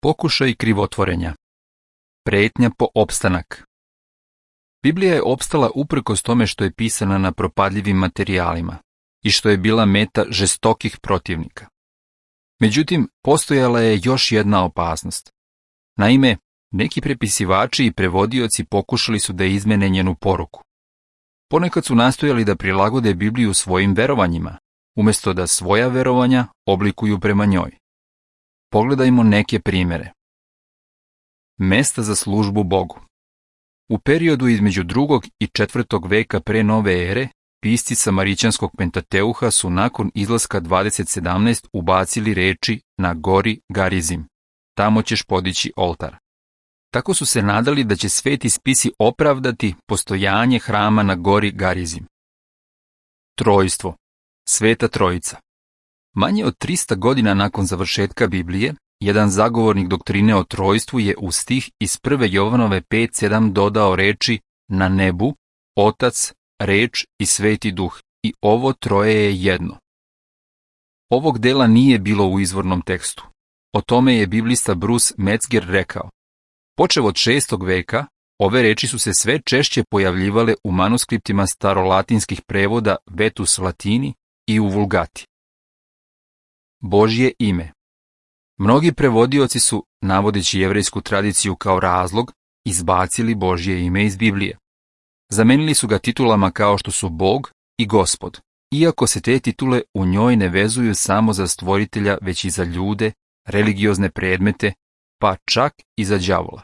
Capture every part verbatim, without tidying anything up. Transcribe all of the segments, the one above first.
Pokušaj krivotvorenja. Pretnja po opstanak. Biblija je opstala uprkos tome što je pisana na propadljivim materijalima i što je bila meta žestokih protivnika. Međutim, postojala je još jedna opasnost. Naime, neki prepisivači i prevodioci pokušali su da izmene njenu poruku. Ponekad su nastojali da prilagode Bibliju svojim verovanjima, umjesto da svoja verovanja oblikuju prema njoj. Pogledajmo neke primjere. Mesta za službu Bogu. U periodu između drugog i četvrtog veka pre nove ere, pisci Samarićanskog Pentateuha su nakon izlaska dvadeset sedamnaest ubacili reči na gori Garizim. Tamo ćeš podići oltar. Tako su se nadali da će sveti spisi opravdati postojanje hrama na gori Garizim. Trojstvo. Sveta Trojica. Manje od trista godina nakon završetka Biblije, jedan zagovornik doktrine o trojstvu je u stih iz prve Jovanove pet sedam dodao reči na nebu, Otac, Reč i Sveti Duh, i ovo troje je jedno. Ovog dela nije bilo u izvornom tekstu. O tome je biblista Bruce Metzger rekao: počev od šestog veka, ove reči su se sve češće pojavljivale u manuskriptima starolatinskih prevoda Vetus Latini i u Vulgati. Božje ime. Mnogi prevodioci su, navodeći jevrejsku tradiciju kao razlog, izbacili Božje ime iz Biblije. Zamenili su ga titulama kao što su Bog i Gospod, iako se te titule u njoj ne vezuju samo za stvoritelja, već i za ljude, religiozne predmete, pa čak i za đavola.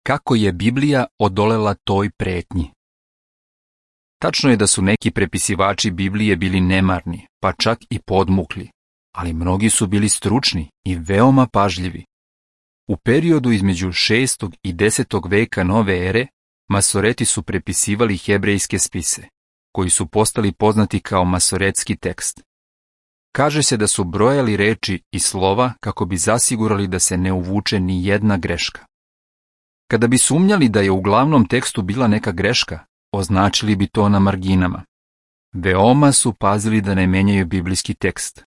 Kako je Biblija odolela toj pretnji? Tačno je da su neki prepisivači Biblije bili nemarni, pa čak i podmukli, ali mnogi su bili stručni i veoma pažljivi. U periodu između šestog i desetog veka nove ere, Masoreti su prepisivali hebrejske spise, koji su postali poznati kao masoretski tekst. Kaže se da su brojali reči i slova kako bi zasigurali da se ne uvuče ni jedna greška. Kada bi sumnjali da je u glavnom tekstu bila neka greška, označili bi to na marginama. Veoma su pazili da ne menjaju biblijski tekst.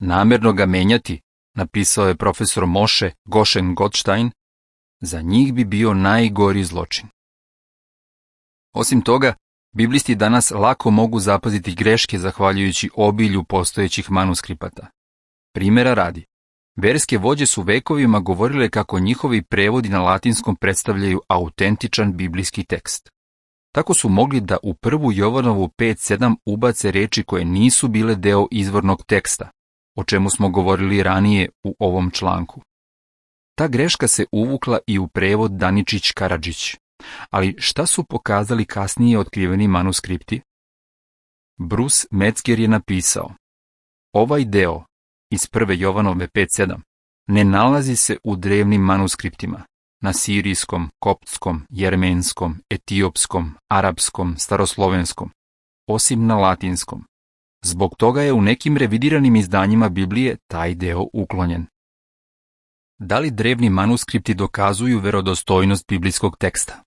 Namerno ga menjati, napisao je profesor Moshe Goshen Gottstein, za njih bi bio najgori zločin. Osim toga, biblisti danas lako mogu zapaziti greške zahvaljujući obilju postojećih manuskripata. Primjera radi, verske vođe su vekovima govorile kako njihovi prevodi na latinskom predstavljaju autentičan biblijski tekst. Tako su mogli da u prvu Jovanovu pet sedam ubace reči koje nisu bile deo izvornog teksta, o čemu smo govorili ranije u ovom članku. Ta greška se uvukla i u prevod Daničić-Karadžić, ali šta su pokazali kasnije otkriveni manuskripti? Bruce Metzger je napisao: ovaj deo iz prve Jovanove pet sedam ne nalazi se u drevnim manuskriptima, na sirijskom, koptskom, jermenskom, etiopskom, arapskom, staroslovenskom, osim na latinskom. Zbog toga je u nekim revidiranim izdanjima Biblije taj deo uklonjen. Da li drevni manuskripti dokazuju verodostojnost biblijskog teksta?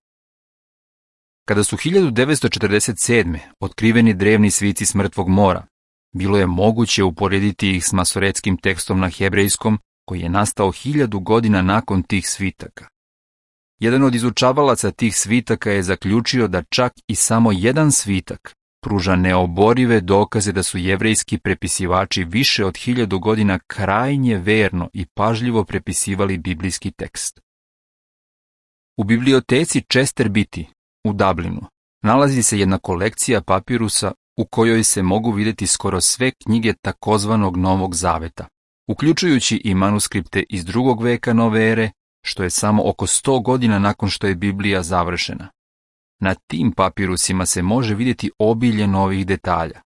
Kada su hiljadu devetsto četrdeset sedme otkriveni drevni svici s Mrtvog mora, bilo je moguće uporediti ih s masoretskim tekstom na hebrejskom koji je nastao hiljadu godina nakon tih svitaka. Jedan od izučavalaca tih svitaka je zaključio da čak i samo jedan svitak pruža neoborive dokaze da su jevrejski prepisivači više od hiljadu godina krajnje verno i pažljivo prepisivali biblijski tekst. U biblioteci Chester Beatty u Dublinu nalazi se jedna kolekcija papirusa u kojoj se mogu vidjeti skoro sve knjige takozvanog Novog Zaveta, uključujući i manuskripte iz drugog veka nove ere, što je samo oko sto godina nakon što je Biblija završena. Na tim papirusima se može vidjeti obilje novih detalja.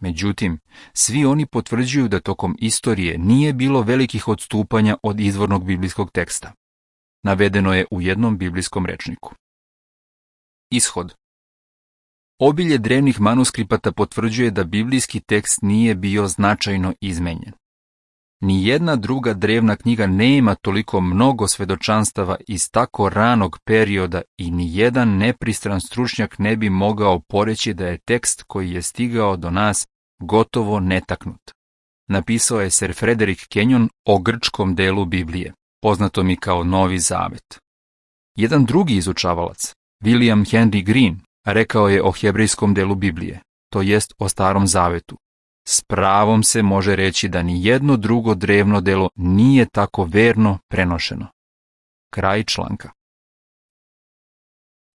Međutim, svi oni potvrđuju da tokom istorije nije bilo velikih odstupanja od izvornog biblijskog teksta. Navedeno je u jednom biblijskom rečniku. Ishod. Obilje drevnih manuskripata potvrđuje da biblijski tekst nije bio značajno izmenjen. Nijedna druga drevna knjiga nema toliko mnogo svedočanstava iz tako ranog perioda i nijedan nepristran stručnjak ne bi mogao poreći da je tekst koji je stigao do nas gotovo netaknut. napisao je Sir Frederick Kenyon o grčkom delu Biblije, poznatom i kao Novi Zavet. Jedan drugi izučavalac, William Henry Green, rekao je o hebrejskom delu Biblije, to jest o Starom Zavetu. S pravom se može reći da ni jedno drugo drevno delo nije tako verno prenošeno. Kraj članka.